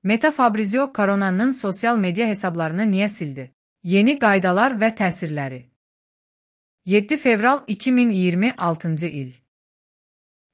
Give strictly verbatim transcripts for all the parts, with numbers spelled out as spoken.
Meta Fabrizio Carona'nın sosyal medya hesablarını niye sildi? Yeni qaydalar və təsirləri. yeddi fevral iki min iyirmi altıncı il.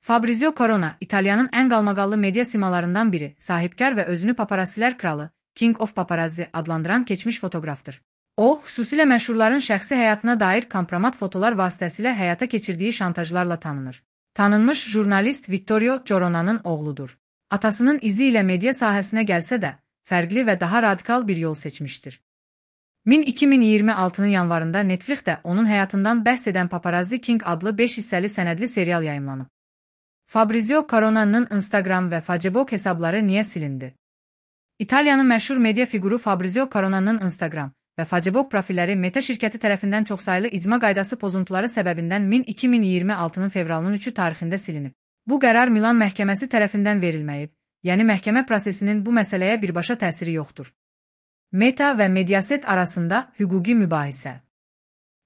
Fabrizio Carona, İtalyanın ən qalmaqallı media simalarından biri, sahibkar və özünü paparazzilər kralı, King of Paparazzi adlandıran keçmiş fotoqrafdır. O, xüsusilə məşhurların şəxsi həyatına dair kompromat fotolar vasitəsilə həyata keçirdiyi şantajlarla tanınır. Tanınmış jurnalist Vittorio Corona'nın oğludur. Atasının izi ilə media sahəsinə gəlsə də, fərqli və daha radikal bir yol seçmişdir. iki min iyirmi altının yanvarında Netflixdə onun həyatından bəhs edən Paparazzi King adlı beş hissəli sənədli serial yayımlanıb. Fabrizio Carona'nın Instagram və Facebook hesabları niyə silindi? İtaliyanın məşhur media fiquru Fabrizio Carona'nın Instagram və Facebook profilləri Meta şirkəti tərəfindən çoxsaylı icma qaydası pozuntuları səbəbindən iki min iyirmi altının fevralının üçü tarixində silinib. Bu qərar Milan məhkəməsi tərəfindən verilməyib, yəni məhkəmə prosesinin bu məsələyə birbaşa təsiri yoxdur. Meta və Mediaset arasında hüquqi mübahisə.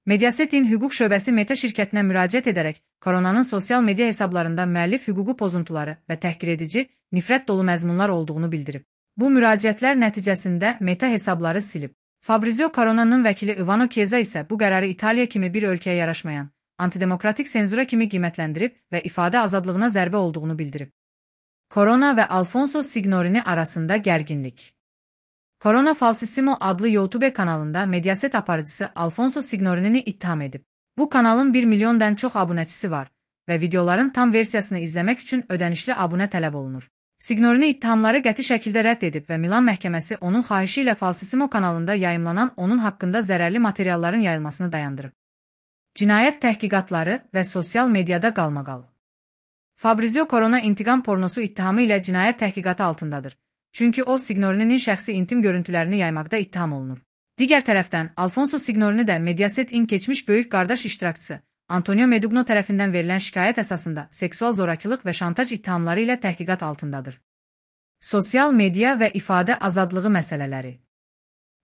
Mediaset'in hüquq şöbəsi Meta şirkətinə müraciət edərək Carona'nın sosial media hesablarında müəllif hüququ pozuntuları və təhqir edici, nifrət dolu məzmunlar olduğunu bildirib. Bu müraciətlər nəticəsində Meta hesabları silib. Fabrizio Carona'nın vəkili Ivano Chiesa isə bu qərarı İtaliya kimi bir ölkəyə yaraşmayan, antidemokratik senzura kimi qiymətləndirib və ifadə azadlığına zərbə olduğunu bildirib. Corona və Alfonso Signorini arasında gərginlik. Corona Falsissimo adlı YouTube kanalında Mediaset aparıcısı Alfonso Signorini ittiham edib. Bu kanalın bir milyondan çox abunəçisi var və videoların tam versiyasını izləmək üçün ödənişli abunə tələb olunur. Signorini ittihamları qəti şəkildə rədd edib və Milan məhkəməsi onun xahişi ilə Falsissimo kanalında yayımlanan onun haqqında zərərli materialların yayılmasını dayandırıb. Cinayət təhqiqatları və sosial mediada qalmaqal. Fabrizio Carona intiqam pornosu ittihamı ilə cinayət təhqiqatı altındadır. Çünki o, Signorini'nin şəxsi intim görüntülərini yaymaqda ittiham olunur. Digər tərəfdən, Alfonso Signorini də Mediaset'in keçmiş böyük qardaş iştirakçısı, Antonio Medugno tərəfindən verilən şikayət əsasında seksual zorakılıq və şantaj ittihamları ilə təhqiqat altındadır. Sosial media və ifadə azadlığı məsələləri.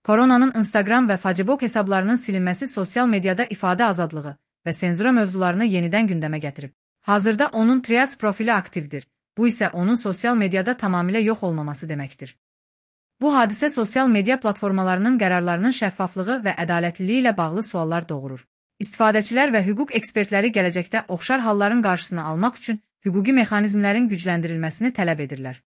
Carona'nın Instagram və Facebook hesablarının silinməsi sosial mediada ifadə azadlığı və senzura mövzularını yenidən gündəmə gətirib. Hazırda onun Threads profili aktivdir. Bu isə onun sosial mediada tamamilə yox olmaması deməkdir. Bu hadisə sosial media platformalarının qərarlarının şəffaflığı və ədalətliliyi ilə bağlı suallar doğurur. İstifadəçilər və hüquq ekspertləri gələcəkdə oxşar halların qarşısını almaq üçün hüquqi mexanizmlərin gücləndirilməsini tələb edirlər.